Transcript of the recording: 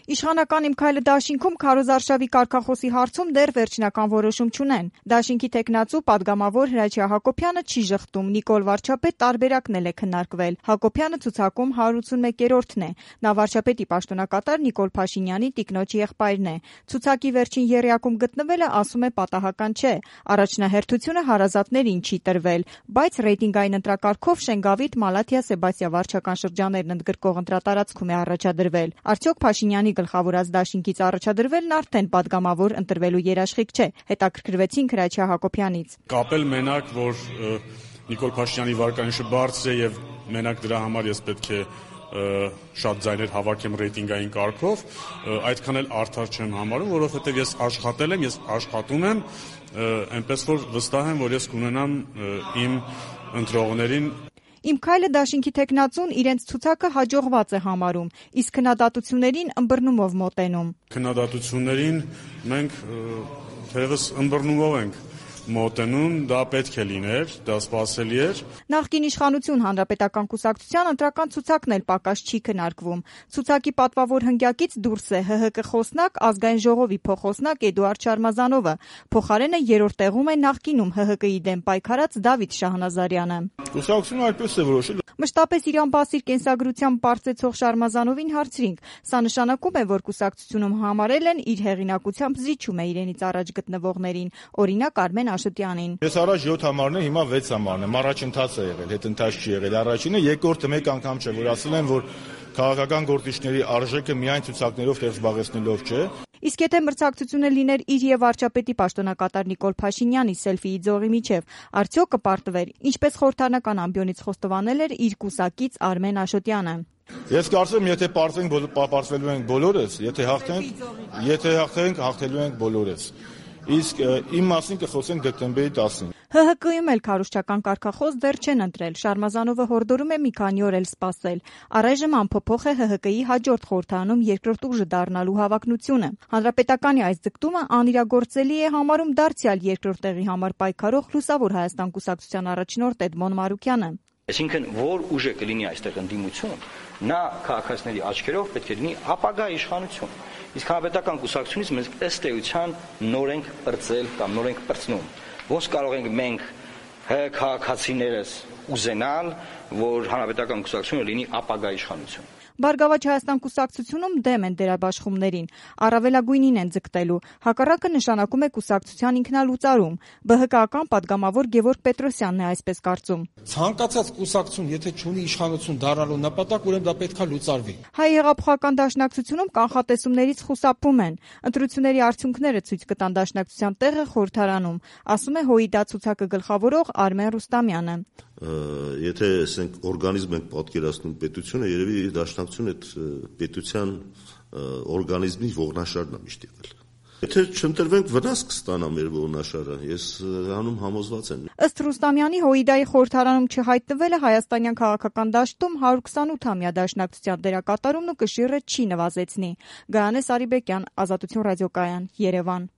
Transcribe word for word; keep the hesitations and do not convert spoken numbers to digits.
Իշխանական «Իմ քայլը» դաշինքում քարոզարշավի կարգախոսի հարցում դեռ վերջնական որոշում չունեն։ Դաշինքի թեկնածու պատգամավոր Հրաչյա Հակոբյանը չի ժխտում, Նիկոլ վարչապետ տարբերակն էլ է քննարկվել։ Հակոբյանը ցուցակում հարյուր ութսունմեկերորդն է։ Նա վարչապետի պաշտոնակատար Նիկոլ Փաշինյանի տիկնոջ եղբայրն է։ Ցուցակի վերջին եռյակում գտնվելը, ասում է, պատահական չէ։ Առաջնահերթությունը հարազատներին չի տրվել, բայց ռեյտինգային ընտրակարգով Շենգավիթ, Մալաթիա, Սեբաստիա վարչական շրջաններն ընդգրկող ընտրատարածքում է առաջադրվել։ Արդյոք Փաշինյանի գլխավորած դաշինքից առաջադրվելն արդեն պատգամավոր ընտրվելու երաշխիք չէ։ Հետաքրքրվեցինք Հրաչյա Հակոբյանից։ Կապել մենակ, որ Նիկոլ Փաշինյանի վարկանիշը բարձր է եւ մենակ դրա համար ես պետք է շատ ձայներ հավաքեմ ռեյտինգային կարգով, այդքան էլ արդար չեմ համարում, որովհետեւ ես աշխատել եմ, ես աշխատում եմ, այնպես որ վստահ եմ, որ ես կունենամ իմ ընտրողներին։ «Իմ քայլը» դաշինքի թեկնածուն իրենց ցուցակը հաջողված է համարում, իսկ քննադատություններին ըմբռնումով մոտենում։ Քննադատություններին մենք թերևս ըմբռնումով ենք մոտենում, դա պետք է լիներ, դա սպասելի էր։ Նախկին իշխանություն Հանրապետական կուսակցության ընտրական ցուցակն էլ պակաս չի քննարկվում։ Ցուցակի պատվավոր հնգյակից դուրս է ՀՀԿ խոսնակ, Ազգային ժողովի փոխխոսնակ Էդուարդ Շարմազանովը։ Փոխարենը երրորդ տեղում է նախկինում ՀՀԿ-ի դեմ պայքարած Դավիթ Շահնազարյանը։ Կուսակցությունը այդպես է որոշել։ Մշտապես իր անբասիր կենսագրությամբ պարծեցող Շարմազանովին հարցրինք. սա նշանակում է, որ կուսակցությունում համարել են իր հեղինակությամբ զիջում է իրենից առաջ գտնվողներին, օրինակ Արմեն Աշոտյանին։ Ես առաջ յոթ համարն եմ, հիմա վեց համարն եմ, առաջընթաց է եղել, հետընթաց չի եղել։ Առաջինը, երկրորդը մեկ անգամ չէ, որ ասել են, որ քաղաքական գործիչների արժեքը միայն ցուցակներով տեղ զբաղեցնելով չէ։ Իսկ եթե մրցակցությունը լիներ իր եւ վարչապետի պաշտոնակատար Նիկոլ Փաշինյանի սելֆիի ձողի միջև, արդյոք կպարտվեր, ինչպես խորհրդանական ամբիոնից խոստովանել էր իր կուսակից Արմեն Աշոտյանը։ Ես կարծում եմ, եթե պարտվենք, պարտվելու ենք բոլորս, եթե հաղթենք, եթե հաղթենք, հաղթելու ենք բոլորս։ Իսկ իմ մասին կխոսենք դեկտեմբերի տասին։ ՀՀԿ-ում էլ քարոզչական կարգախոս դեռ չեն ընտրել։ Շարմազանովը հորդորում է մի քանի օր էլ սպասել։ Առայժմ անփոփոխ է ՀՀԿ-ի հաջորդ խորհրդարանում երկրորդ ուժը դառնալու հավակնությունը։ Հանրապետականի այս ձգտումը անիրագործելի է համարում դարձյալ երկրորդ տեղի համար պայքարող Լուսավոր Հայաստան կուսակցության առաջնորդ Էդմոն Մարուկյանը։ Այսինքն, որ ուժը կլինի այստեղ ընդդիմություն, նա քաղաքացիների աչքերով պետք է լինի ապագա իշխանություն։ Իսկ հանրապետական կուսակցությունից մենք ըստ էության նոր ենք պրծել կամ նոր ենք պրծնում։ Ոնց կարող ենք մենք քաղաքացիներս ուզենալ, որ հանրապետական կուսակցությունը լինի ապագա իշխանություն։ Բարգավաճ Հայաստան կուսակցությունում դեմ են դերաբաշխումներին, առավելագույնին են ձգտելու, հակառակը նշանակում է կուսակցության ինքնալուծարում։ ԲՀԿ-ական պատգամավոր Գևորգ Պետրոսյանն է այսպես կարծում։ Ցանկացած կուսակցություն, եթե չունի իշխանություն դառնալու նպատակ, ուրեմն դա պետք է լուծարվի։ Հայ հեղափոխական դաշնակցությունում կանխատեսումներից խուսափում են։ Ընտրությունների արդյունքները ցույց կտան դաշնակցության տեղը խորհրդարանում, ասում է ՀՅԴ ցուցակը գլխավորող Արմեն Ռուստամյանը։ Եթե ասենք օրգանիզմ ենք պատկերացնում պետությունը, երևի դաշնակցությունը այդ պետության օրգանիզմի ողնաշարն է միշտ եղել։ Եթե չընտրվենք, վնաս կստանա մեր ողնաշարը, ես հանում համոզված եմ։ Ըստ Ռուստամյանի ՀՅԴ-ի խորհրդարանում չհայտնվելը հայաստանյան քաղաքական դաշտում հարյուր քսանութամյա դաշնակցության դերակատարումն ու կշիռը չի նվազեցնի։ Գայանե Սարիբեկյան, Ազատություն ռադիոկայան, Երևան։